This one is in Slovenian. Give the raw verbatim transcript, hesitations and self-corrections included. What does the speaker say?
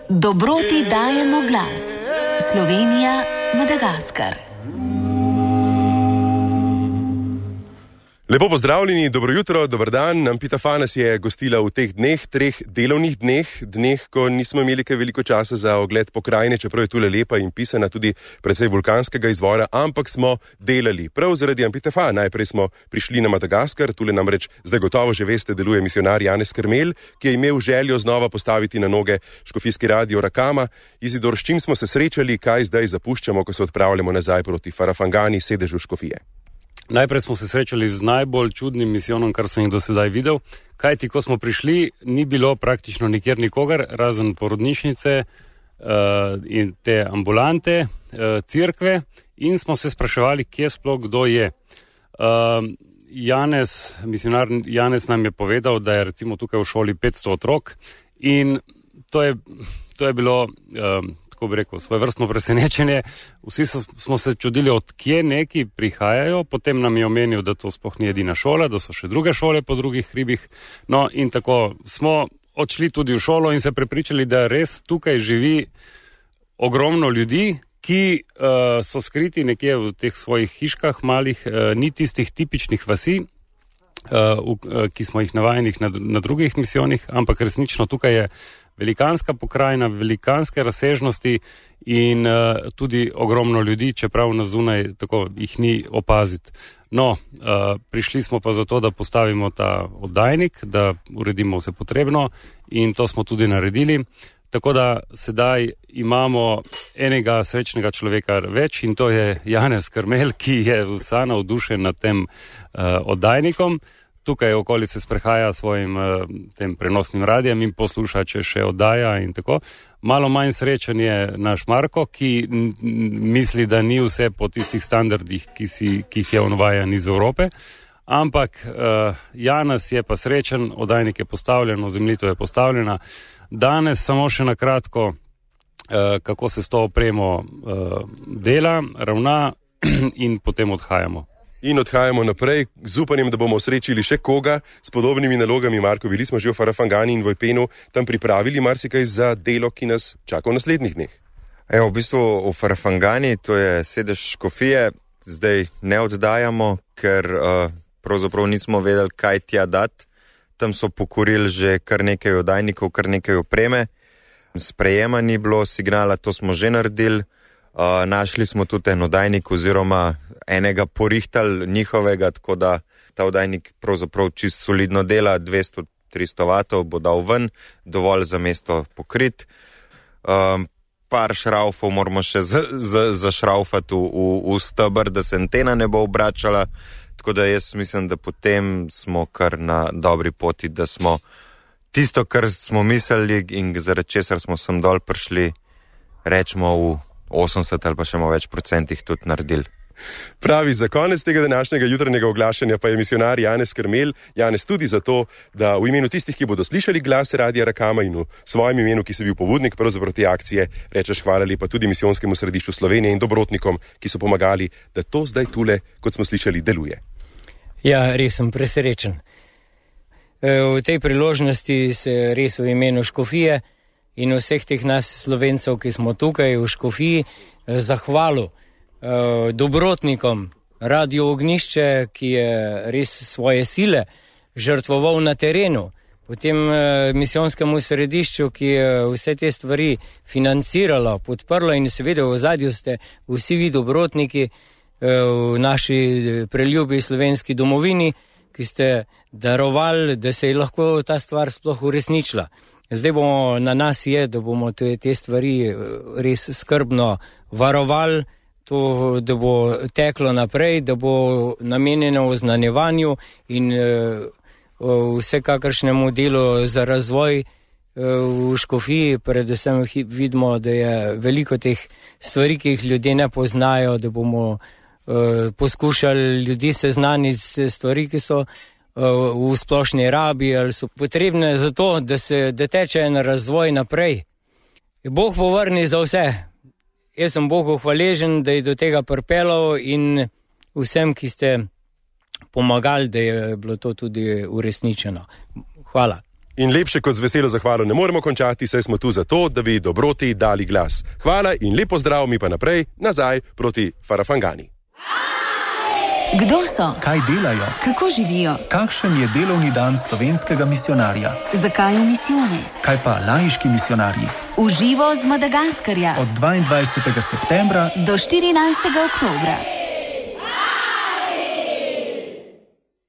Dobroti dajemo glas. Slovenija, Madagaskar. Lepo pozdravljeni, dobro jutro, dober dan. Ampitafa nas je gostila v teh dneh, treh delovnih dneh, dneh, ko nismo imeli kaj veliko časa za ogled pokrajine, čeprav je tule lepa in pisana tudi precej vulkanskega izvora, ampak smo delali. Prav zaradi Ampitafa. Najprej smo prišli na Madagaskar, tule namreč zdaj gotovo že veste, deluje misionar Janez Krmelj, ki je imel željo znova postaviti na noge škofijski radio Rakama. Izidor, s čim smo se srečali, kaj zdaj zapuščamo, ko se odpravljamo nazaj proti Farafangani, sedežu škofije? Najprej smo se srečali z najbolj čudnim misijonom, kar sem jih do sedaj videl. Kajti, ko smo prišli, ni bilo praktično nikjer nikogar, razen porodnišnice uh, in te ambulante, uh, cerkve, in smo se spraševali, kje sploh kdo je. Uh, Janez, misionar Janez nam je povedal, da je recimo tukaj v šoli petsto otrok in to je, to je bilo... Uh, bi rekel, svoje vrstno presenečenje. Vsi so, smo se čudili, od kje neki prihajajo, potem nam je omenil, da to sploh ni edina šola, da so še druge šole po drugih hribih. No in tako smo odšli tudi v šolo in se prepričali, da res tukaj živi ogromno ljudi, ki uh, so skriti nekje v teh svojih hiškah malih, uh, ni tistih tipičnih vasi, uh, v, uh, ki smo jih navajeni na, na drugih misijonih, ampak resnično tukaj je velikanska pokrajina, velikanske razsežnosti in uh, tudi ogromno ljudi, čeprav na zunaj tako jih ni opaziti. No, uh, prišli smo pa zato, da postavimo ta oddajnik, da uredimo vse potrebno in to smo tudi naredili. Tako da sedaj imamo enega srečnega človeka več in to je Janez Krmelj, ki je vsa navdušen nad tem uh, oddajnikom. Tukaj okolice sprehaja svojim uh, tem prenosnim radijem in posluša, če še oddaja in tako. Malo manj srečen je naš Marko, ki n- misli, da ni vse po tistih standardih, ki, si, ki jih je on vajen iz Evrope. Ampak uh, Janez je pa srečen, oddajnik je postavljen, zemljito je postavljena. Danes samo še na kratko, uh, kako se s to opremo uh, dela, ravna in potem odhajamo. In odhajamo naprej z upanjem, da bomo srečili še koga s podobnimi nalogami. Marko, bili smo že v Farafangani in Vojpenu, tam pripravili marsikaj za delo, ki nas čaka v naslednjih dneh. Evo, v bistvu v Farafangani, to je sedež škofije, zdaj ne oddajamo, ker uh, pravzaprav nismo vedeli, kaj tja dati. Tam so pokorili že kar nekaj oddajnikov, kar nekaj opreme. Sprejema ni bilo signala, to smo že naredili. Uh, našli smo tudi en oddajnik oziroma enega porihtali njihovega, tako da ta oddajnik pravzaprav čist solidno dela, dvesto do tristo vatov bo dal ven, dovolj za mesto pokrit. Um, par šraufov moramo še zašraufati v, v, v stebr, da se antena ne bo obračala, tako da jaz mislim, da potem smo kar na dobri poti, da smo tisto, kar smo mislili in zaradi česar smo sem dol prišli, rečemo v osemdeset ali pa še malo več procentih tudi naredili. Pravi, za konec tega današnjega jutranjega oglašanja pa je misionar Janez Krmelj. Janez, tudi zato, da v imenu tistih, ki bodo slišali glas Radia Rakama in v svojem imenu, ki si bil pobudnik pravzaprav te akcije, rečeš hvala lepa tudi Misijonskemu središču Slovenije in dobrotnikom, ki so pomagali, da to zdaj tule, kot smo slišali, deluje. Ja, res sem presrečen. V tej priložnosti se res v imenu škofije in vseh teh nas Slovencev, ki smo tukaj v škofiji, zahvalil eh, dobrotnikom Radio Ognjišče, ki je res svoje sile žrtvoval na terenu, potem eh, Misijonskemu središču, ki je vse te stvari financiralo, podprlo in seveda v ozadju ste vsi vi dobrotniki eh, v naši preljubi slovenski domovini, ki ste darovali, da se je lahko ta stvar sploh uresničila. Zdaj bomo na nas je, da bomo te, te stvari res skrbno varovali, to, da bo teklo naprej, da bo namenjeno oznanjevanju in uh, vsekakršnemu delu za razvoj uh, v škofiji. Predvsem vidimo, da je veliko teh stvari, ki jih ljudje ne poznajo, da bomo uh, poskušali ljudi seznaniti s stvari, ki so v splošni rabi ali so potrebne za to, da se da teče en razvoj naprej. Bog povrni za vse. Jaz sem Bogu hvaležen, da je do tega pripeljal in vsem, ki ste pomagali, da je bilo to tudi uresničeno. Hvala. In lepše kot z veselo zahvalo ne moremo končati, saj smo tu zato, da bi dobroti dali glas. Hvala in lepo zdrav, mi pa naprej, nazaj proti Farafangani. Kdo so? Kaj delajo? Kako živijo? Kakšen je delovni dan slovenskega misijonarja? Zakaj v misijone? Kaj pa laiški misijonarji? V živo z Madagaskarja. Od dvaindvajsetega septembra do štirinajstega oktobra.